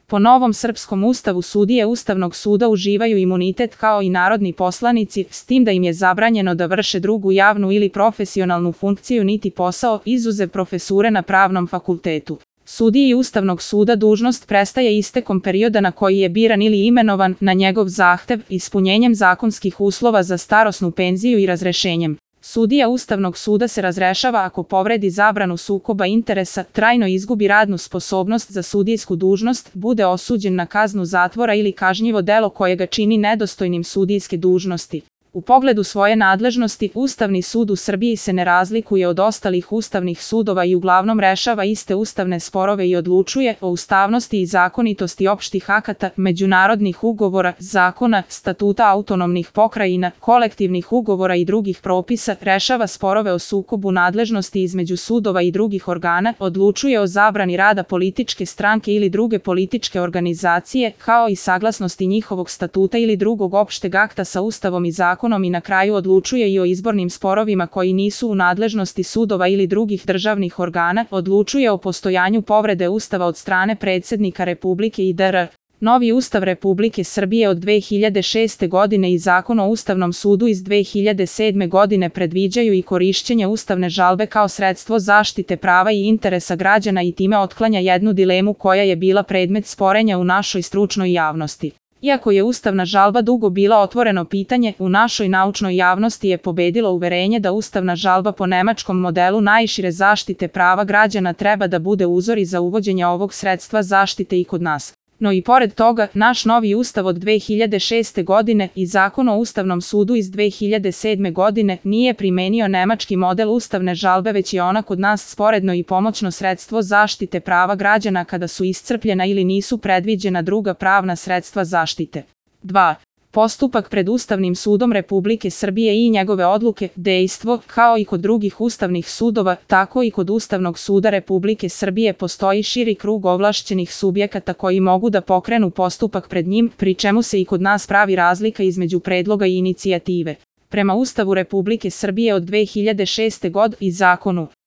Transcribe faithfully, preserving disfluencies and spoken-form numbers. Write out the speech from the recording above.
Po novom srpskom ustavu sudije Ustavnog suda uživaju imunitet kao i narodni poslanici, s tim da im je zabranjeno da vrše drugu javnu ili profesionalnu funkciju niti posao, izuzev profesure na pravnom fakultetu. Sudiji Ustavnog suda dužnost prestaje istekom perioda na koji je biran ili imenovan na njegov zahtev, ispunjenjem zakonskih uslova za starosnu penziju i razrešenjem. Sudija Ustavnog suda se razrešava ako povredi zabranu sukoba interesa, trajno izgubi radnu sposobnost za sudijsku dužnost, bude osuđen na kaznu zatvora ili kažnjivo delo koje ga čini nedostojnim sudijske dužnosti. U pogledu svoje nadležnosti, Ustavni sud u Srbiji se ne razlikuje od ostalih ustavnih sudova i uglavnom rešava iste ustavne sporove i odlučuje o ustavnosti i zakonitosti opštih akata, međunarodnih ugovora, zakona, statuta autonomnih pokrajina, kolektivnih ugovora i drugih propisa, rešava sporove o sukobu nadležnosti između sudova i drugih organa, odlučuje o zabrani rada političke stranke ili druge političke organizacije, kao i saglasnosti njihovog statuta ili drugog opšteg akta sa Ustavom i zakonom, i na kraju odlučuje i o izbornim sporovima koji nisu u nadležnosti sudova ili drugih državnih organa, odlučuje o postojanju povrede Ustava od strane predsjednika Republike i dr. Novi Ustav Republike Srbije od dve hiljade šeste. godine i Zakon o Ustavnom sudu iz dve hiljade sedme. godine predviđaju i korišćenje ustavne žalbe kao sredstvo zaštite prava i interesa građana i time otklanja jednu dilemu koja je bila predmet sporenja u našoj stručnoj javnosti. Iako je ustavna žalba dugo bila otvoreno pitanje, u našoj naučnoj javnosti je pobedilo uverenje da ustavna žalba po nemačkom modelu najšire zaštite prava građana treba da bude uzor i za uvođenje ovog sredstva zaštite i kod nas. No i pored toga, naš novi ustav od dve hiljade šeste. godine i Zakon o Ustavnom sudu iz dve hiljade sedme. godine nije primenio nemački model ustavne žalbe, već je ona kod nas sporedno i pomoćno sredstvo zaštite prava građana kada su iscrpljena ili nisu predviđena druga pravna sredstva zaštite. dva. Postupak pred Ustavnim sudom Republike Srbije i njegove odluke, dejstvo, kao i kod drugih ustavnih sudova, tako i kod Ustavnog suda Republike Srbije postoji širi krug ovlašćenih subjekata koji mogu da pokrenu postupak pred njim, pri čemu se i kod nas pravi razlika između predloga i inicijative. Prema Ustavu Republike Srbije od dve hiljade šeste. godine i Zakonu